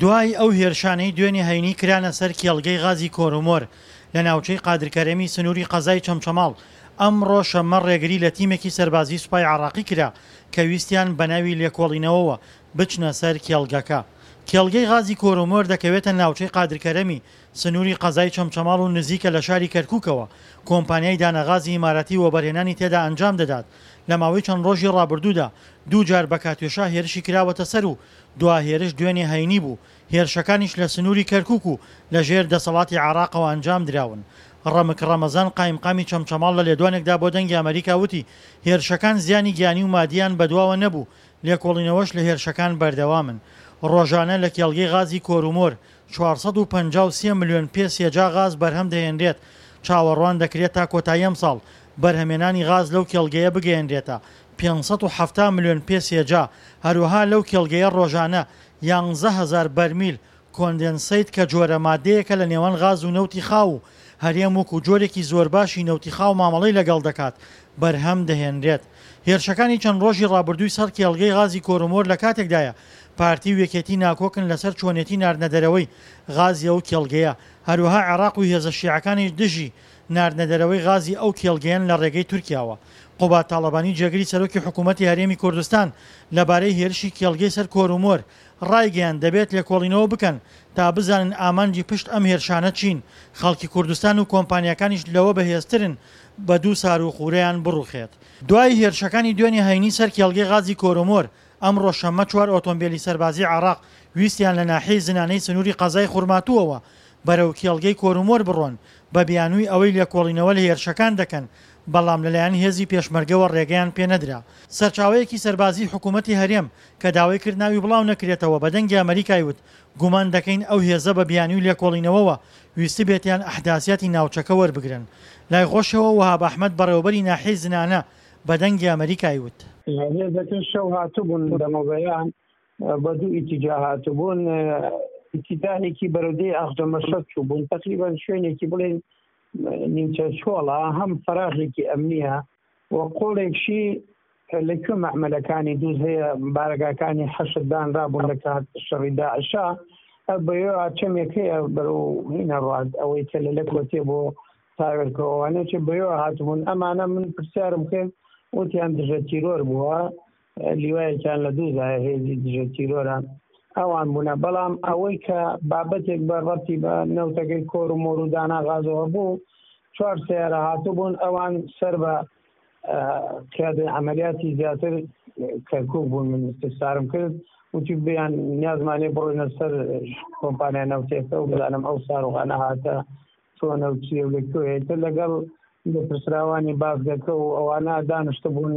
دوای ئەو هێرشانەی دوێنێ هەینی کرانە سەر کێڵگەی غازی کۆرومۆر لە ناوچەی قادرکەرەمی سنووری قەزای چەمچەماڵ، ئەمڕۆ شەممە ڕێگری لە تیمێکی سەربازی سوپای عێراقی کرا کە ویستیان بەناوی لێکۆڵینەوەوە بچنە سەر کێڵگەکە. کێڵگەی غازی کۆرومۆر دەکەوێتە ناوچەی قادرکەرەمی سنووری قەزای چەمچەماڵ و نزیکە لە شاری کەرکووکەوە، کۆمپانیای دانەغازی ئیماراتی وەبەرهێنانی تێدا ئەنجام دەدات، لە ماوەی چەند ڕۆژی ڕابردوودا دووجار بە کاتیۆشا هێرشی کراوەتە سەر و دوا هێرش دوێنێ هەینی بوو، هێرشەکانیش لە سنووری کەرکووک و لە ژێر دەسەڵاتی عێراقەوە ئەنجام دراون. ڕەمک ڕەمەزان قایمقامی چەمچەماڵ لە لێدوانێکدا بۆ دەنگی ئەمەریکا وتی، هێرشەکان زیانی گیانی و مادییان بەدواوە نەبوو، لێکۆڵینەوەش لە هێرشەکان بەردەوامن. ڕۆژانە لە کێڵگەی غازی کۆرومۆر 453 ملیۆن پێ سێجا غاز بەرهەم دەهێنرێت، چاوەڕوان دەکرێت تا کۆتایی ئەمساڵ بەرهەمێنانی غاز لەو کێڵگەیە بگەیەنرێتە 570 ملیۆن پێ سێجا، هەروەها لەو کێڵگەیە ڕۆژانە 11 هەزار بەرمیل کۆندێنسەیت کە جۆرە مادەیەکە لە نێوان غاز و نەوتی خاو و هەرێم وەکو جۆرێکی زۆرباشی نەوتی خاو مامەڵەی لەگەڵ دەکات بەرهەم دەهێنرێت. هێرشەکانی چەند ڕۆژی ڕابردووی سەر کێڵگەی غازی کۆرومۆر لە کاتێکدایە پارتی و یەکێتی ناکۆکن لەسەر چۆنێتی ناردنەدەرەوەی غازی ئەو کێڵگەیە، هەروەها عێراق و هێزە شیعەکانیش دژی ناردنەدەرەوەی غازی ئەو کێڵگەیەن لە ڕێگەی تورکیاوە. قوباد تاڵەبانی جێگری سەرۆکی حکوومەتی هەرێمی کوردستان لەبارەی هێرشی کێڵگەی سەر کۆرومۆر ڕایگەیاند، دەبێت لێکۆڵینەوە بکەن تا بزانن ئامانجی پشت ئەم هێرشانە چین، خەڵکی کوردستان و کۆمپانیاکانیش لەوە بەهێزترن بە دوو ساروخورەیان بڕوخێت. دوای هێرشەکانی دوێنێ هەینی سەر کێڵگەی غازی کۆرومۆر، ئەمڕۆ شەممە چوار ئۆتۆمبێلی سەربازیی عێراق ویستیان لە ناحیەی زنانەی سنووری قەزای خورماتووەوە بەرەو کێڵگەی کۆرومۆر بڕۆن بە بیانووی ئەوەی لێکۆڵینەوە لە هێرشەکان دەکەن، بەڵام لەلایەن هێزی پێشمەرگەوە ڕێگەیان پێنەدرا. سەرچاوەیەکی سەربازیی حکوومەتی هەرێم کە داوای کرد ناوی بڵاو نەکرێتەوە بە دەنگی ئەمەریکای وت گومان دەکەین ئەو هێزە بە بیانووی لێکۆڵینەوەوە ویستبێتیان ئەحداسیاتی ناوچەکە وەربگرن. لای خۆشیەوە وەهاب ئەحمەد بەڕێوەبەری ناحیەی زنانە بە دەنگی ئەمەریکای وت. هێزەکە شەو هاتبوون دەمەبەیان بە دوو ئیتیجا هاتبوون ئیتیجاهێکی بەرەو دێی ئاخجەمەشەد چووبوون تەقریبەن شوێنێکی بڵێن نیمچە چۆڵە هەم فەراغێکی ئەمنیە و قۆڵێکشی لە کوێ مەعمەلەکانی دووز هەیە بارەگاکانی حەشد دانرابوون لە کات شەڕی داعشا بەوێ چەمێک هەیە بەرەو هینە ڕات ئەوەی کە لە لەکۆتێ بۆ تاوێلکەوەوانە چ بەوێ هاتبوون ئەمانە من پرسیارم کرد وتیان دژە تیرۆر بووە لیوایەکیان لە دووزایە هێزی دژە تیرۆرە ئەوان بوونە بەڵام ئەوەی کە بابەتێک بە ڕەتی بە نەوتەکەی کۆر و مۆر و دانا غازەوە بوو چوار سیارە هاتبوون ئەوان سەر بە قیادەی عملیاتی زیاتر کەرکک بوون من استفسارم کرد وتی بیان نیازمانێ بڕۆینە سەر کۆمپانیا نەوتێکە و بزانم ئەو ساروغانە هاتە چۆنە و چیە و لە کوێیە تر لەگەڵ لێپرسراوانی بازگەکە و ئەوانە دانیشتبوون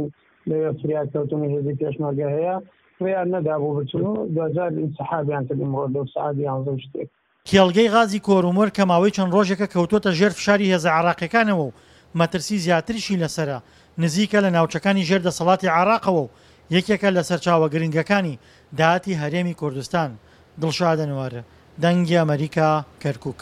لەوێ فریا کەوتن و هێزی پێشمەرگە هەیە ڕێیان نەدابوو بچن و دواجار ئینسحابیان کرد ئیمڕۆ لەو سەعات یانزە و شتێک. کێڵگەی غازی کۆرومۆر کە ماوەی چەند ڕۆژێکە کەوتووەتە ژێر فشاری هێزە عێراقییەکانەوە و مەترسی زیاتریشی لەسەرە، نزیکە لە ناوچەکانی ژێر دەسەڵاتی عێراقەوە و یەکێکە لە سەرچاوە گرنگەکانی داهاتی هەرێمی کوردستان. دڵشاد ئەنوەر، دەنگی ئەمەریکا، کەرکوک.